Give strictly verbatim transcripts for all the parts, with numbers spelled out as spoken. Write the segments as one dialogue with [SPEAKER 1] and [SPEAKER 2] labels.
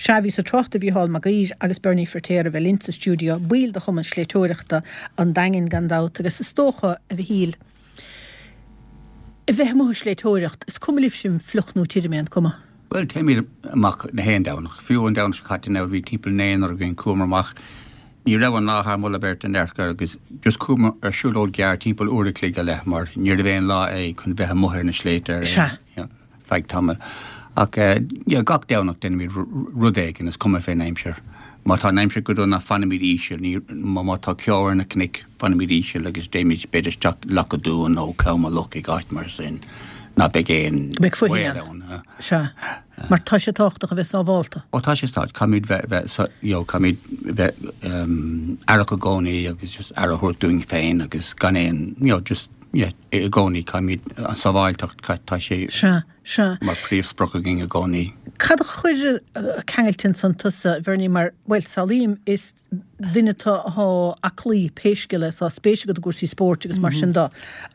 [SPEAKER 1] Sea, bhíos ag trácht ar Mhícheál Mac Uidhir agus Bernie Firtéar a bheith linn sa stiúideo, baill de Chumann Sléibhteoireachta an Daingin gan dabht, agus is dócha, a Mhichíl, a bheith amuigh ag sléibhteoireacht, is cuma libhse fliuch nó tirim é, an cuma?
[SPEAKER 2] Bhuel, téimid amach na haon Domhnach. Fiú an Domhnach seo caite now bhí timpeall naonúr againn, chuamar amach, ní raibh an lá thar moladh beirte in aon chor agus just chuamar ar siúlóid gearr timpeall uair a chloig go leith mar níorbh aon lá é chun bheith amuigh ar na sléibhte ar
[SPEAKER 1] Sea.
[SPEAKER 2] aon feadh tamaill. Ach yeah, gach Domhnach déanaimid rud éigin, is cuma fén aimsir. Má tá an aimsir go dona fanaimid íseal, ní, má tá ceo ar na cnoic fanaimid íseal agus téimid b'fhéidir isteach Loch a' Dúin nó Com a Loch ag áit mar sin ná beidh aon
[SPEAKER 1] Beidh fuithí
[SPEAKER 2] baol
[SPEAKER 1] ann.
[SPEAKER 2] ann.
[SPEAKER 1] Sea. Mar tá sé tábhachtach a bheith sábhálta.
[SPEAKER 2] Ó tá sé tábhachtach, caithfimid bheith, bheith, you know, caithfimid bheith um, aireach i gcónaí agus just aire a thabhairt dúinn féin agus gan aon, you know, just, yeah, i gcónaí caithfimid an sábháilteacht, tá sé
[SPEAKER 1] Sea, sea.
[SPEAKER 2] mar príomhsprioc againn i gcónaí.
[SPEAKER 1] Cad a chuir ceangailte ansan tusa, Bernie, mar, bhuel, samhlaím, is duine atá aclaí pé scéal é, tá spéis agat i gcúrsaí spóirt agus mar sin de.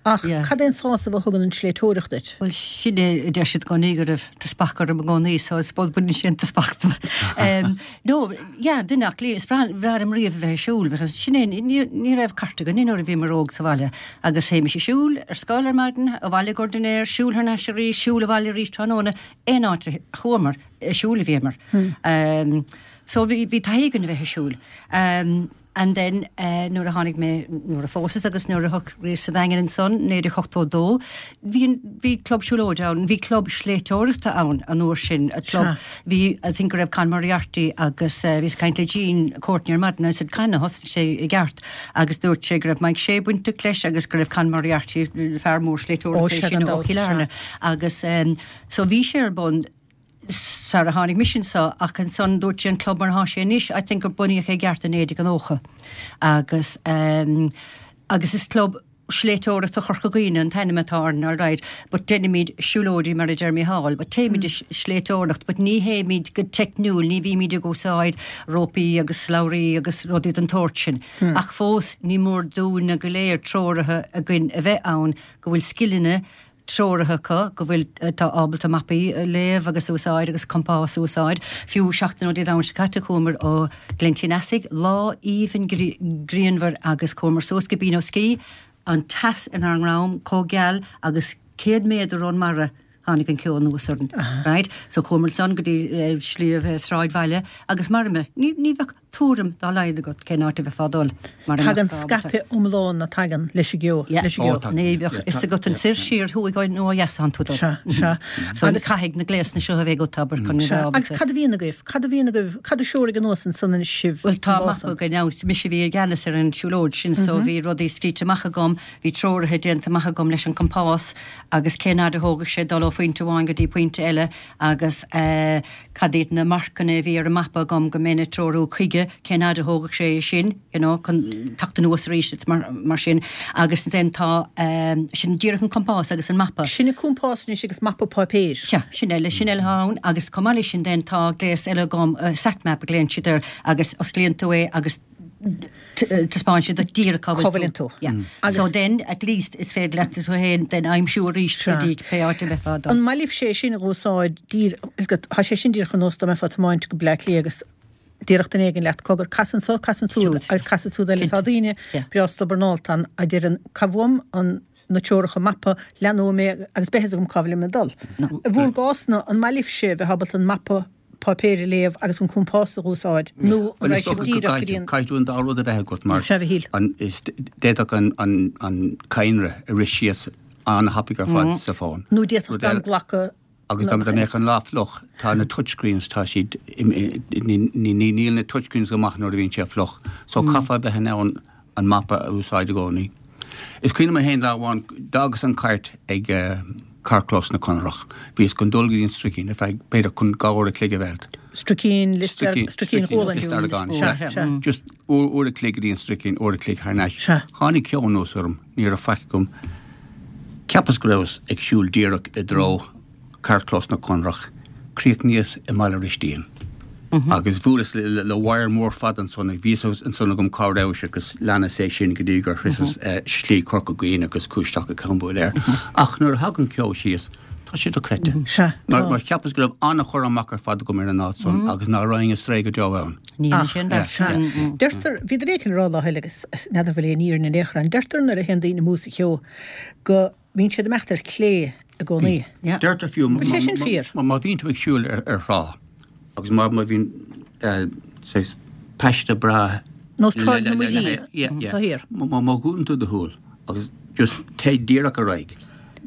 [SPEAKER 1] Ach
[SPEAKER 3] Yeah.
[SPEAKER 1] cad é an sásamh a thugann an sléibhteoireacht duit?
[SPEAKER 3] Well sin é a deir siad i gcónaí go raibh teaspach orm i gcónaí, so is bud baineann sé an teaspach dom. Um, no, yeah, duine aclaí, is breá breá liom riamh a bheith ag siúl, because sin é, ní ní raibh cairt againn nuair a bhíomar óg sa bhaile, agus théimis ag siúl ar scoil ar maidin, abhaile go dinnéar, siúl thar n-ais arís, siúl abhaile arís tráthnóna, aon áit a chuamar, ag siúl a bhíomar. Um, so bhí bhí taithí againn a bheith ag siúl. Um, and then uh, nuair a tháinig mé nuair a phósas agus nuair a shocraíos sa Daingean ansan naoi déag ochtó dó, bhí an- bhí club siúlóide ann, bhí club sléibhteoireachta ann an uair sin, a club bhí I think go raibh Con Moriarty agus uh, bhíos ag caint le Jean Courtney ar maidin, I said can a thosnaigh sé i gceart agus dúirt sé go raibh Mike Shea bainteach leis agus go raibh Con Moriarty fear mór
[SPEAKER 1] Ó,
[SPEAKER 3] sléibhteoireachta
[SPEAKER 1] sé
[SPEAKER 3] sin
[SPEAKER 1] gan
[SPEAKER 3] ó
[SPEAKER 1] dabht,
[SPEAKER 3] Chill Airne agus um, so bhí sé ar bun sar a tháinig mise anseo ach ansan dúirt sé an club mar atá sé anois, I think gur bunaíodh é i gceart in naoi déag nócha. Agus um, agus is club sléibhteoireachta Chorca Dhuibhne an t-ainm atá air, all right, but déanaimid siúlóidí mar a deir Mícheál, but téimid mm. sléibhteoireacht, but ní théimid go teicniúil, ní bhímid ag úsáid rópaí agus slabhraí agus rudaí den tsórt sin. Mm. Ach fós ní mór dúinne go léir treoraithe againn a bheith ann go bhfuil scileanna treoraithe acu go bhfuil tá ábalta mapaí a léamh agus úsáid agus compás úsáid. Fiú seachtain ó Dé Domhnaigh seo caite chuamar ó Ghleann tí an Easaigh lá aoibhinn grianmhar agus chuamar suas go Beenoskee, an teas inár ndroim chomh geal agus céad méadar ón mara tháinig an ceo anuas orainn. Right? So chuamar ansan go dtí uh, sliabh uh, sráidbhaile agus mar me ní ní bheadh tuairim dá laghad agat cén áit a bheifeá ag dul. Mar a
[SPEAKER 1] Tagann
[SPEAKER 3] mbeadh ábalta.
[SPEAKER 1] scaipeadh iomlán na tagann leis an gceo,
[SPEAKER 3] Yeah.
[SPEAKER 1] leis an gceo.
[SPEAKER 2] Ó, tagann.
[SPEAKER 3] Ní bheadh fhios agat an soir siar thuaidh nó ó dheas atánn tú dul.
[SPEAKER 1] Sea, sea.
[SPEAKER 3] So
[SPEAKER 1] Agus-
[SPEAKER 3] agus caithfidh na gléasanna seo a bheith agat abair chun
[SPEAKER 1] Sea.
[SPEAKER 3] bheith
[SPEAKER 1] Agus
[SPEAKER 3] ábalta.
[SPEAKER 1] cad a bhíonn agaibh? Cad a bhíonn agaibh? Cad a threoraigh anuas ansan anois sibh?
[SPEAKER 3] Well tá
[SPEAKER 1] an
[SPEAKER 3] amach
[SPEAKER 1] lá san?
[SPEAKER 3] againn now, mise a bhí i gceannas ar an siúlóid sin so bhí rudaí scríte amach agam, bhí treoraithe déanta amach agam leis an compás agus cén fhad a thógadh sé dul ó phointe amháin go dtí pointe eile agus uh, cad iad na marcanna a bhí ar an mapa agam go mbeinn ag treorú chuige cén fhad a thógadh sé sin, you know, chun teacht anuas arís it's mar, mar sin agus then tá um, sin díreach an compás agus an mapa.
[SPEAKER 1] Sin an compás anois agus mapa páipéir.
[SPEAKER 3] Sea, sin eile sin eile ann agus chomh maith leis sin den tá gléas eile agam uh, satmap a ghlaonn siad air agus osclaíonn tú é agus taispeánann sé duit díreach
[SPEAKER 1] Cá bhfuil tú.
[SPEAKER 3] Yeah.
[SPEAKER 1] Agus-
[SPEAKER 3] So then at least is féidir leat tú féin den aimsiú arís go dtí pé áit a bheifeá ag dul.
[SPEAKER 1] An maith libh sé sin a úsáid dír is go tá sé sin díreach ar nós dá mbeifeá ag tiomáint go Bleá Cliath agus díreach duine éigin leat cogar cas anseo cas ansúd
[SPEAKER 3] Siúd.
[SPEAKER 1] agus cas ansúd eile
[SPEAKER 3] Cinnte.
[SPEAKER 1] tá daoine
[SPEAKER 3] Yeah.
[SPEAKER 1] breá stubborn a deireann cá bhfuaim an na treoracha mapa leanfaidh mé agus beidh a fhios agam cá bhfuil mé ag dul. I bhur gcás-na an maith libh sé bheith ábalta an mapa páipéir a léamh agus an compás a úsáid nó an raibh sibh díreach go dtí an
[SPEAKER 2] Caithfidh tú an dá rud a bheith agat mar
[SPEAKER 1] Sea, a Mhichíl.
[SPEAKER 2] an is d'fhéadfadh an an an cadhnra a rith síos an-thapaidh ar fad sa fón.
[SPEAKER 1] nó d'fhéadfadh
[SPEAKER 2] Rud
[SPEAKER 1] gan
[SPEAKER 2] eile-
[SPEAKER 1] glacadh
[SPEAKER 2] Agus dá dá mbeadh an lá fliuch tá na touchscreens tá siad níl na touchscreens go maith nuair a bhíonn sé fliuch, so caithfear bheith in ann an mapa a úsáid i gcónaí. Is cuimhin liom féin lá amháin d'fhágas an cairt ag uh, carrchlós na Conrach. Bhíos chun dul go dtí an Stricín ar feadh b'fhéidir chun dhá uair a chloig a bheilt.
[SPEAKER 1] Stricín Stricín Chualann. Sea, sea.
[SPEAKER 2] Just uair uair a chloig go dtí an Stricín uair a chloig thar n-ais.
[SPEAKER 1] Sea.
[SPEAKER 2] Tháinig ceo anuas orm, ní raibh faic agam. Cheapas go rabhas ag siúl díreach i dtreo carrchlós na Conrach, chríochnaíos i mBaile Ristín. Agus bhuaileas le, le, le wire mór fada ansan ag bhí ansan agam cá raibh sé agus leanas é sin go dtí gur shroicheas uh, slí Corca Dhuibhne agus cuasteach go Cambuil air. Ach nuair a thagann ceo síos Tá sé dochreidte.
[SPEAKER 1] Sea,
[SPEAKER 2] Mar,
[SPEAKER 1] tá.
[SPEAKER 2] mar cheapas go raibh an-chur amach ar fad agam ar an áit san agus nach raghainn ar strae go deo ann.
[SPEAKER 3] Ní
[SPEAKER 1] Ach,
[SPEAKER 3] sin
[SPEAKER 2] yeah,
[SPEAKER 1] Sea. Deirtear, bhí duine éicint ag rá lá eile agus n'fheadar bhfuil aon fhírinne in aon chor ann. Deirtear nuair a théann daoine amú sa cheo go mbíonn siad ag imeacht ar clé i gcónaí.
[SPEAKER 3] Yeah.
[SPEAKER 2] Deirtear fiú
[SPEAKER 1] Bhfuil sé sin fíor?
[SPEAKER 2] Má má bhíonn tú ag siúl ar, ar thrá agus má má bhíonn eh, saghas paiste breá
[SPEAKER 1] Nós Tráigh na
[SPEAKER 2] le- le- le-
[SPEAKER 1] Muirí
[SPEAKER 2] le- yeah, yeah.
[SPEAKER 1] sa thiar.
[SPEAKER 2] Má má- má dhúnann tú do shúil agus just téigh díreach ar aghaidh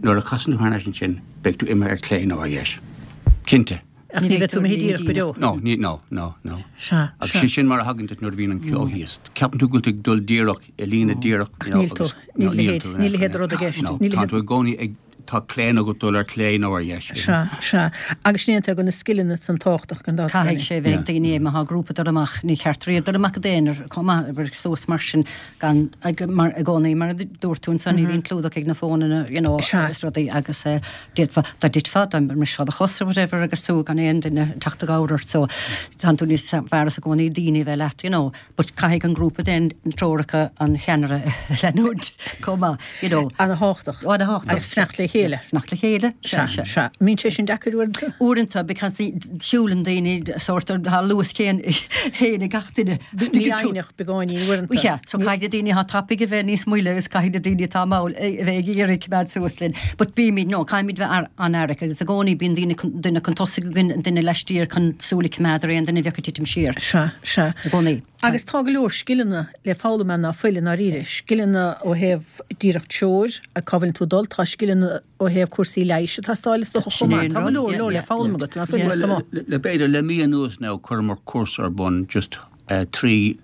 [SPEAKER 2] nuair a chasann tú thar n-ais ansin beidh tú imithe ar clé nó ar dheis. Cinnte.
[SPEAKER 1] Ach ní bheidh tú imithe díreach go deo.
[SPEAKER 2] No, ní, no, no, no.
[SPEAKER 1] Sea,
[SPEAKER 2] Agus
[SPEAKER 1] sea.
[SPEAKER 2] sé sin mar a thagann duit nuair a bhíonn an ceo thíos. Ceapann tú go bhfuil tú ag dul díreach i líne díreach. you know,
[SPEAKER 1] níl tú.
[SPEAKER 2] agus-
[SPEAKER 1] Níl
[SPEAKER 2] no,
[SPEAKER 1] leithéid-
[SPEAKER 2] tú in
[SPEAKER 1] níl
[SPEAKER 2] aon
[SPEAKER 1] leithéid
[SPEAKER 2] chor.
[SPEAKER 1] rud i gceist.
[SPEAKER 2] No,
[SPEAKER 1] Níl
[SPEAKER 2] tá
[SPEAKER 1] leithéid-
[SPEAKER 2] tú i gcónaí ag tá claon agat dul ar clé nó ar dheis.
[SPEAKER 1] Sea, sea. Agus sin é go na scileanna san tábhachtach gan dabht.
[SPEAKER 3] Caithfidh sé bheith ag daoine má tá grúpa dul amach ní cheart riamh dul amach d'aonar chomh maith obair suas mar sin gan ag- mar i gcónaí mar a dúirt tú ansan ní bhíonn clúdach ag na fónanna you know,
[SPEAKER 1] Sea.
[SPEAKER 3] is rudaí agus eh, d'fhéadfá dá dtitfeá dá mbrisfeá do chos or whatever agus tú gan aon duine teacht i gcabhair ort so tá tú níos fearr as i gcónaí daoine bheith leat you know, but caithfidh an grúpa den treoracha an cheannaire leanúint chomh maith you know.
[SPEAKER 1] An-thábhachtach.
[SPEAKER 3] An-thábhachtach.
[SPEAKER 1] Agus fanacht le chéile.
[SPEAKER 3] Fanacht le chéile.
[SPEAKER 1] Sea, sea. Mbíonn sé sin deacair uaireanta?
[SPEAKER 3] Uaireanta because the siúlann daoine sort of tá luas céanna ag gach duine.
[SPEAKER 1] Mífhoighneach beagáinín uaireanta.
[SPEAKER 3] Yeah, so caithfidh daoine atá tapaidh a bheith níos moille agus caithfidh daoine atá mall a bheith ag iarraidh coimeád suas linn. But bímid no, caithfimid bheith ar an-aireach agus i gcónaí bíonn daoine chun- duine chun tosaigh againn duine laistiar chun súil a choimeád ar aon duine bheadh ag titim siar.
[SPEAKER 1] Sea, sea.
[SPEAKER 3] I gcónaí.
[SPEAKER 1] Agus tá go leor scileanna le foghlaim ann ná fuil i ndáiríre. Scileanna ó thaobh díreach treoir a cá bhfuil tú dul, tá scileanna ó thaobh cúrsaí leighis atá stáil is dócha chomh maith. Tá go leor leor le foghlaim agat ná fuil
[SPEAKER 2] Well,
[SPEAKER 1] tá maith.
[SPEAKER 2] le le b'fhéidir le mí anuas now chuireamar cúrsa ar bun just uh, trí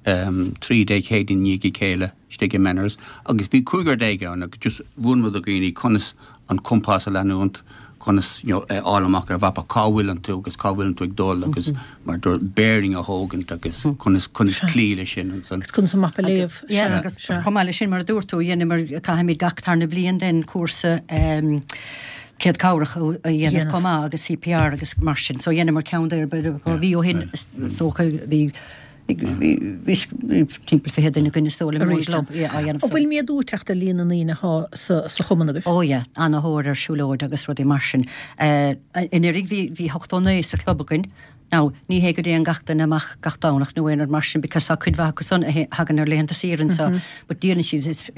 [SPEAKER 2] um, trí Dé Céadaoin i ndiaidh a chéile istigh i Menaers agus bhí cúigear déag ann agus just mhúin do dhaoine conas an compás a leanúint conas you know, eh, fháil amach ar mhapa cá bhfuil tú agus cá bhfuil tú ag dul agus mar dúr bearing a thógaint agus conas conas cloí le sin ansan.
[SPEAKER 1] Agus conas an mapa a léamh.
[SPEAKER 3] Yeah,
[SPEAKER 1] Sea,
[SPEAKER 3] agus
[SPEAKER 1] sea.
[SPEAKER 3] chomh maith leis sin mar a dúirt tú dhéanamar caithfimid gach tarna bliain den cúrsa um, céad cabhrach a dhéanamh
[SPEAKER 1] Dhéanamh.
[SPEAKER 3] chomh maith agus CPR agus mar sin, so dhéanamar ceann ar bhí ó shin dócha bhí bhí timpeall fiche duine againn is dóigh liom
[SPEAKER 1] Arís
[SPEAKER 3] club, yeah, á dhéanamh
[SPEAKER 1] An bhfuil méadú ag teacht ar líon na ndaoine atá sa sa chumann agaibh?
[SPEAKER 3] Ó yeah, an-tóir ar siúlóid agus rudaí mar sin. Uh, Anuraidh bhí bhí ochtó naoi sa chlub againn. Now, ní hé go dtéann gach duine amach gach Domhnach nó aon rud mar sin because tá cuid mhaith acu san a thagann ar laethanta saoire so, but díolann siad it's,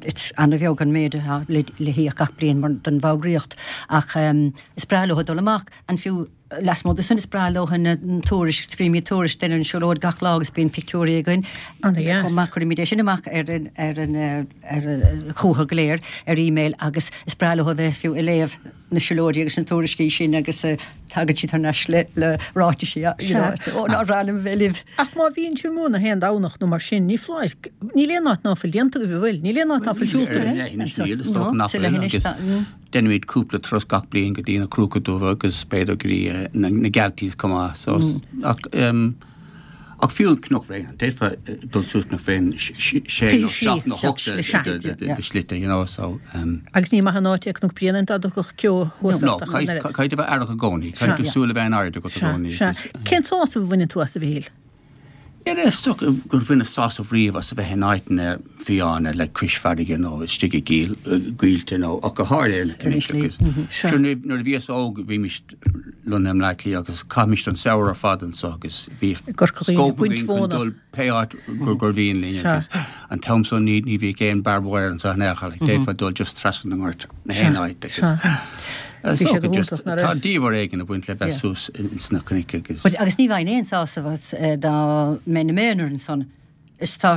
[SPEAKER 3] it's an-bheag an méid atá le, le híoc gach bliain mar don bhallraíocht ach um, is breá leo dul amach an fiú lasmuigh de sin is breá leo na tuairisc scríobhaimid tuairisc den an siúlóid gach lá agus bíonn pictiúirí againn.
[SPEAKER 1] An-dheas.
[SPEAKER 3] Chomh maith cuirimid é sin amach ar an ar an eh, ar an chucha go léir ar email agus is breá leo a bheith fiú ag léamh na siúlóidí agus na tuairiscí sin agus eh, tagann siad thar n-ais le le ráitisí you know, ó ná rannam bheith libh.
[SPEAKER 1] Ach má bhíonn tú amú na haon Domhnach nó mar sin, ní foláir níl aon áit ná fuil déanta agaibh, bhfuil, níl aon áit ná fuil siúlta agaibh.
[SPEAKER 3] No, sa leithinis tá- mm.
[SPEAKER 2] Déanaimid cúpla turas gach bliain go dtí na Cruacha Dubha agus b'fhéidir go dtí eh, na na Galtees chomh maith. So ach um, ach fiú an Cnoc Bhréanainn, d'fhéadfá eh, dul suas Cnoc Bhréanainn sé nó seacht nó hocht de- de- de- de- de shlite, you know, so um,
[SPEAKER 1] Agus ní maith an áit é Cnoc Bréanainn dá dtiocfadh ceo thuas
[SPEAKER 2] No,
[SPEAKER 1] ort ach an oiread.
[SPEAKER 2] caithfidh a bheith aireach i gcónaí, caithfidh tú
[SPEAKER 1] Sea.
[SPEAKER 2] súil a bheith in airde agat i
[SPEAKER 1] Sea,
[SPEAKER 2] gcónaí.
[SPEAKER 1] sea.
[SPEAKER 2] agus,
[SPEAKER 1] Cén sásamh a bhaineann tú as a Mhichíl?
[SPEAKER 2] Yeah, is dócha gur bhaineas sásamh riamh as a bheith in áiteanna fiáine le cois farraige nó istigh i gcill coillte nó ach go háirithe na cnoic agus
[SPEAKER 1] Sea.
[SPEAKER 2] Sure, nuair nuair a bhíos óg bhímis lonnaithe i mBleá Cliath agus chaithimis an samhradh ar fad anso agus bhí
[SPEAKER 1] Corca Dhuibhne,
[SPEAKER 2] scóip
[SPEAKER 1] baint
[SPEAKER 2] againn chun
[SPEAKER 1] mhóna.
[SPEAKER 2] dul pé áit gur gur mhian linn
[SPEAKER 1] Sea.
[SPEAKER 2] agus an t-am san ní ní bhí aon barbed wire anso in aon chor, like, d'fhéadfá dul just trasna na ngort na haon áit agus
[SPEAKER 1] Sea.
[SPEAKER 2] Is
[SPEAKER 1] Bhí sé
[SPEAKER 2] dócha
[SPEAKER 1] go
[SPEAKER 2] just-
[SPEAKER 1] hiontach, ná
[SPEAKER 2] Tá
[SPEAKER 1] raibh?
[SPEAKER 2] diamhair éigin ag baint le bheith
[SPEAKER 3] Yeah.
[SPEAKER 2] suas in sna cnoic agus
[SPEAKER 3] But agus ní bheinn aon sásamh as eh, dá mbeinn i m'aonar ansan. Is tá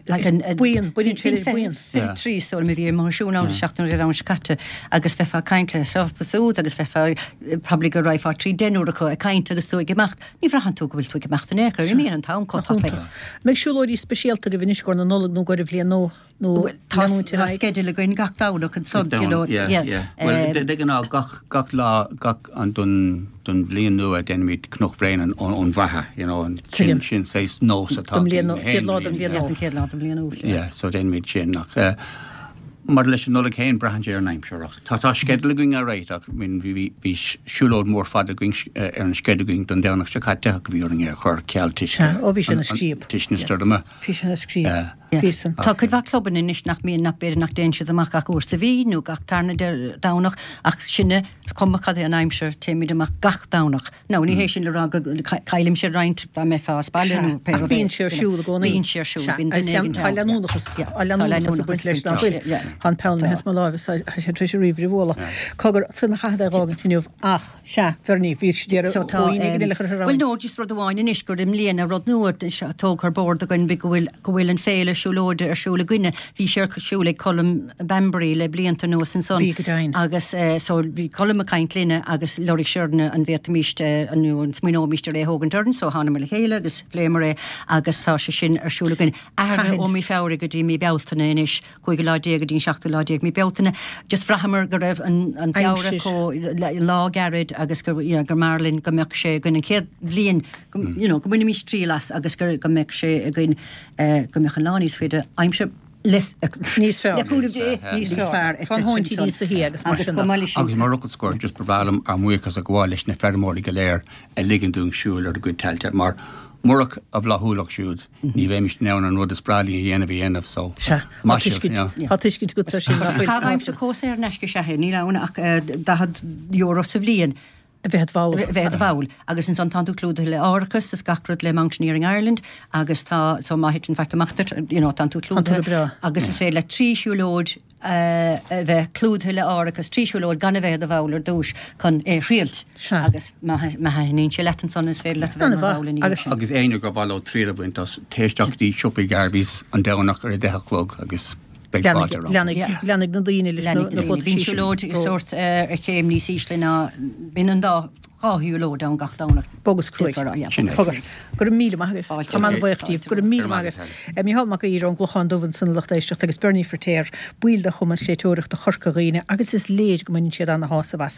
[SPEAKER 3] like an- an-
[SPEAKER 1] buíon, baineann sé le
[SPEAKER 3] Bíonn
[SPEAKER 1] buíon.
[SPEAKER 3] fiche trí is dóigh liom a bhí mar siún ann seachtain ar an scaite agus bheifeá ag caint le sásta súd agus bheifeá eh, probably go raibh trí deichniúr acu ag caint agus tú ag imeacht. Ní bhraitheann tú go bhfuil tú ag imeacht in aon chor, imíonn an t-am chomh tapaidh.
[SPEAKER 1] Mbeidh siúlóidí speisialta agaibh anois go na Nollag nó go bhliain nó nó
[SPEAKER 3] Tá
[SPEAKER 1] leanúint ar
[SPEAKER 3] tá
[SPEAKER 1] aghaidh?
[SPEAKER 3] sceideal againn gach Domhnach ansan, you know,
[SPEAKER 2] yeah,
[SPEAKER 3] yeah.
[SPEAKER 2] yeah. Well,
[SPEAKER 3] Um,
[SPEAKER 2] de ghnáth gach gach lá gach an don don bhliain nua déanaimid Cnoc Bhréanainn ón ón bhFaiche, you know, an sin
[SPEAKER 1] Tuigim.
[SPEAKER 2] sin saghas nós atá
[SPEAKER 1] Don bhliain
[SPEAKER 2] againn,
[SPEAKER 1] nua- chéad lá den bhliain
[SPEAKER 3] yeah,
[SPEAKER 1] nua.
[SPEAKER 3] an chéad lá den bhliain nua, yeah.
[SPEAKER 2] Yeah, so déanaimid sin ach uh, mar leis an Nollaig féin braitheann sé ar an aimsir ach tá tá sceideal againn ar réit ach min bhí bhí bhí siúlóid mór fada againn eh, ar an sceideal againn don Domhnach seo caite ach bhí orainn é a chur ceal toisc
[SPEAKER 1] Sea, ó, bhí sé ina
[SPEAKER 2] an- an-
[SPEAKER 1] scríob.
[SPEAKER 2] toisc na stoirme.
[SPEAKER 1] Bhí sé ina scríob.
[SPEAKER 2] Eh,
[SPEAKER 1] Bhí san.
[SPEAKER 3] Tá cuid mhaith clubanna anois nach mbíonn, nach b'fhéidir nach dtéann siad amach ach uair sa mhí nó gach tarna Domhnach ach sinne, is cuma cad é an aimsir, téimid amach gach Domhnach. Now ní hé sin le rá go gcaillimse roinnt dá mbeifeá as baile nó pé
[SPEAKER 1] Ach
[SPEAKER 3] rud é.
[SPEAKER 1] bíonn sé ar siúl i gcónaí.
[SPEAKER 3] Bíonn sé ar siúl,
[SPEAKER 1] Sea,
[SPEAKER 3] bíonn duine éigin
[SPEAKER 1] Tá
[SPEAKER 3] ann.
[SPEAKER 1] leanúnachas,
[SPEAKER 3] Yeah,
[SPEAKER 1] tá leanúnachas ag baint leis nach bhfuil.
[SPEAKER 3] Yeah.
[SPEAKER 1] Tá an peann imithe as mo láimh is tá sé tar éis an ríomhaire a bhualadh. Cogar, san a chaithfead é a dh'fhágaint inniu ach, sea, Bhernie, bhí sé deireadh
[SPEAKER 3] So tá,
[SPEAKER 1] ó aoine go eile a chur ar
[SPEAKER 3] Bhuel no, just rud amháin anois gur i mbliana rud nua tógtha ar bord againn go bhfuil go bhfuil an féile siúlóide ar siúl againne. Bhí sé ar siúl ag Colm Bambury le blianta anuas ansan.
[SPEAKER 1] Bhí go deimhin.
[SPEAKER 3] Agus eh, so bhí Colm ag caint linne agus lorg sé orainne an bhféadfaimís eh, an nó an smaoineoimís ar é a thógaint orainn, so thánamar le chéile agus phléamar é agus tá sé sin ar siúl againn. Athraithe
[SPEAKER 1] Cathain?
[SPEAKER 3] ó mí Feabhra go dtí mí Bealtaine anois, cúigiú lá déag go dtí an seachtú lá déag mí Bealtaine. Just bhraitheamar go raibh an, an Feabhra
[SPEAKER 1] Aimsir.
[SPEAKER 3] chomh le- lá gairid agus gur, you know, gur mb'fhearr linn go mbeadh sé againn an chéad bhliain, go, you know, go mbainfimís triail as agus gur, go mbeadh sé againn eh, go mbeadh an lá níos faide aimsir le
[SPEAKER 1] Níos fearr.
[SPEAKER 3] Le cúnamh Dé,
[SPEAKER 1] Níos
[SPEAKER 3] níos
[SPEAKER 1] fearr.
[SPEAKER 3] fearr.
[SPEAKER 1] Tá an thóin tí níos soithí agus mar
[SPEAKER 3] Agus
[SPEAKER 1] sin
[SPEAKER 3] go
[SPEAKER 1] de.
[SPEAKER 3] maith leis sin.
[SPEAKER 2] Agus mar fhocal scoir just ba bhreá liom ár mbuíochas a ghabháil leis na feirmeoirí go léir a ligeann dúinn siúl ar a gcuid tailte mar murach a bhflaithiúlacht siúd ní bheimis in ann an rud is breá linn a dhéanamh a dhéanamh so
[SPEAKER 1] Sea, tá
[SPEAKER 2] maith sibh,
[SPEAKER 1] tuiscint,
[SPEAKER 2] yeah.
[SPEAKER 1] tá tuiscint agat ar sin. nach bhfuil.
[SPEAKER 3] Caitheamh aimsire chomh saor in aisce sea níl ann ach eh, daichead euro sa bhliain.
[SPEAKER 1] A bheith bhall.
[SPEAKER 3] bheith bhall agus ansan tá tú clúdaithe le árachas is gach rud le Mountaineering Ireland agus tá so má thiteann faic amach duit, you know, tá tú
[SPEAKER 1] tú go
[SPEAKER 3] clúdaithe
[SPEAKER 1] breá.
[SPEAKER 3] agus is féidir le trí siúlóid eh, a bheith clúdaithe le árachas trí siúlóid gan a bheith i do bhall ar dtús chun é thriailt
[SPEAKER 1] Sea.
[SPEAKER 3] agus má má thaitníonn sé leat ansan is féidir leat a bheith mar
[SPEAKER 1] An-mhaith.
[SPEAKER 3] bhall ina dhiaidh
[SPEAKER 1] Agus-
[SPEAKER 3] sin.
[SPEAKER 2] Agus éinne gur mhaith leo triail a bhaint as téigh isteach go dtí siopaí Garveys an Domhnach ar a deich a chlog agus beidh fáilte romhat.
[SPEAKER 1] Leanfaidh leanfaidh na daoine leis na
[SPEAKER 3] Leanfaidh na
[SPEAKER 1] na
[SPEAKER 3] daoine. Bíonn siúlóid sórt eh, ar chéim níos ísle ná bíonn an dá dhá shiúlóid ann gach Domhnach.
[SPEAKER 1] Bog is cruaidh.
[SPEAKER 3] Yeah,
[SPEAKER 2] Sin é.
[SPEAKER 1] Cogar. Go raibh míle maith agaibh.
[SPEAKER 3] Fáilte.
[SPEAKER 1] Tá an-bhuíoch díobh. Go raibh míle maith agaibh. Eh, Mícheál Mac Uidhir ón gClochán Dubh ansan lucht éisteachta agus Bernie Feiritéar, baill de Chumann Sléibhteoireachta Chorca Dhuibhne agus is léir go mbaineann siad ana-shásamh as.